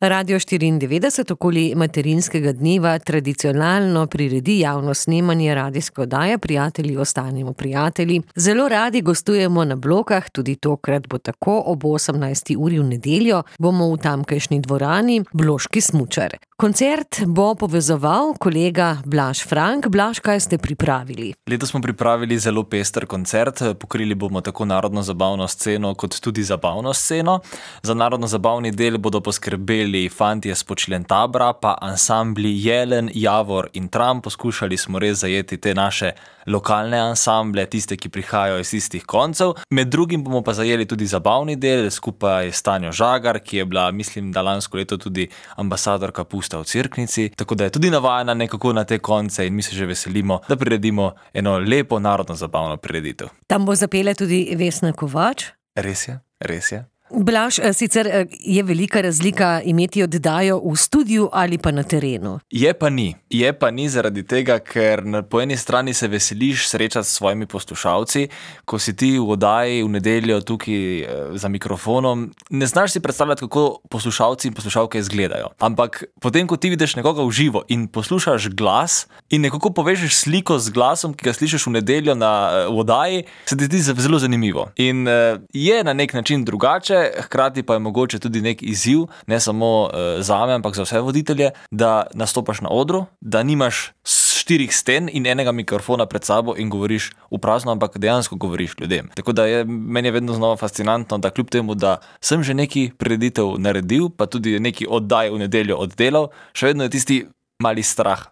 Radio 94 okoli materinskega dneva tradicionalno priredi javno snemanje radijske oddaje Prijatelji ostanimo prijatelji. Zelo radi gostujemo na Blokah, tudi tokrat bo tako, ob 18. uri v nedeljo bomo v tamkajšnji dvorani Bloški smučar. Koncert bo povezoval kolega Blaž Frank. Blaž, kaj ste pripravili? Letos smo pripravili zelo pester koncert, pokrili bomo tako narodno-zabavno sceno kot tudi zabavno sceno. Za narodno-zabavni del bodo poskrbeli fantje s Počlentabra, pa ansambli Jelen, Javor in Tram. Poskušali smo res zajeti te naše lokalne ansamble, tiste, ki prihajajo iz istih koncev. Med drugim bomo pa zajeli tudi zabavni del, skupaj s Tanjo Žagar, ki je bila, mislim, da lansko leto tudi ambasadorka Pusta v Cerknici, tako da je tudi navajena nekako na te konce in mi se že veselimo, da priredimo eno lepo narodno-zabavno prireditev. Tam bo zapela tudi Vesna Kovač. Res je, res je. Blaž, sicer je velika razlika imeti oddajo v studiu ali pa na terenu? Je pa ni zaradi tega, ker po eni strani se veseliš srečati s svojimi poslušalci, ko si ti v oddaji v nedeljo tukaj za mikrofonom, ne znaš si predstavljati, kako poslušalci in poslušalke izgledajo. Ampak potem, ko ti vidiš nekoga v živo in poslušaš glas in nekako povežeš sliko z glasom, ki ga slišiš v nedeljo v oddaji, se ti zdi zelo zanimivo. In je na nek način drugače, hkrati pa je mogoče tudi nek izziv, ne samo zame, ampak za vse voditelje, da nastopaš na odru, da nimaš 4 sten in enega mikrofona pred sabo in govoriš v prazno, ampak dejansko govoriš ljudem. Tako da meni je vedno znova fascinantno, da kljub temu, da sem že neki prireditev naredil, pa tudi neki oddaj v nedeljo oddelal, še vedno je tisti mali strah.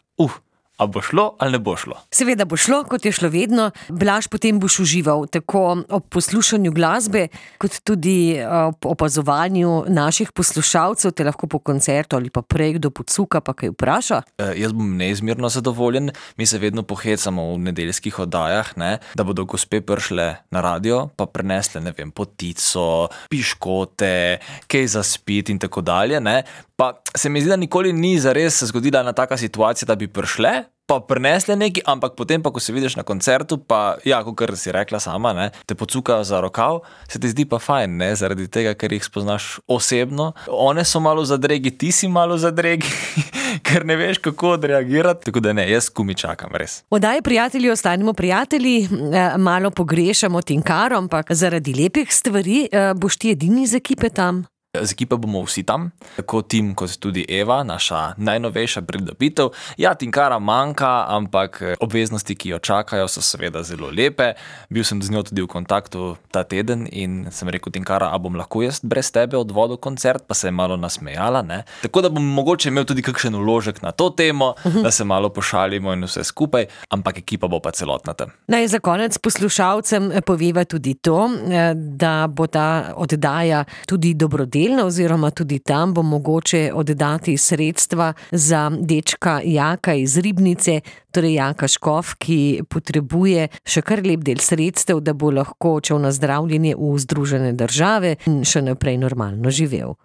A bo šlo ali ne bo šlo? Seveda bo šlo, kot je šlo vedno. Blaž, potem boš užival tako ob poslušanju glasbe, kot tudi ob opazovanju naših poslušalcev, te lahko po koncertu ali pa prej kdo pocuka, pa kaj vpraša? Jaz bom neizmerno zadovoljen. Mi se vedno pohecamo v nedeljskih oddajah, da bodo gospe prišle na radio, pa prinesle, potico, piškote, kaj za spit in tako dalje, Pa se mi zdi, da nikoli ni zares zgodila ena taka situacija, da bi prišle, pa prinesle nekaj, ampak potem pa, ko se vidiš na koncertu, pa kakor si rekla sama, te pocukajo za rokav, se ti zdi pa fajn, zaradi tega, ker jih spoznaš osebno. One so malo zadregi, ti si malo zadregi, ker ne veš, kako odreagirati. Tako da jaz komaj čakam, res. Oddaji Prijatelji ostanimo prijatelji, malo pogrešamo Tinkaro, ampak zaradi lepih stvari boš ti edini iz ekipe tam? Z ekipo bomo vsi tam, tako Tim kot tudi Eva, naša najnovejša pridobitev. Tinkara manjka, ampak obveznosti, ki jo čakajo, so seveda zelo lepe. Bil sem z njo tudi v kontaktu ta teden in sem rekel: Tinkara, a bom lahko jaz brez tebe odvodil koncert? Pa se je malo nasmejala, Tako da bom mogoče imel tudi kakšen vložek na to temo, da se malo pošalimo in vse skupaj, ampak ekipa bo pa celotna tam. Naj za konec poslušalcem poveva tudi to, da bo ta oddaja tudi dobrodelna, oziroma tudi tam bo mogoče oddati sredstva za dečka Jaka iz Ribnice, torej Jaka Škof, ki potrebuje še kar lep del sredstev, da bo lahko odšel na zdravljenje v Združene države in še naprej normalno živel.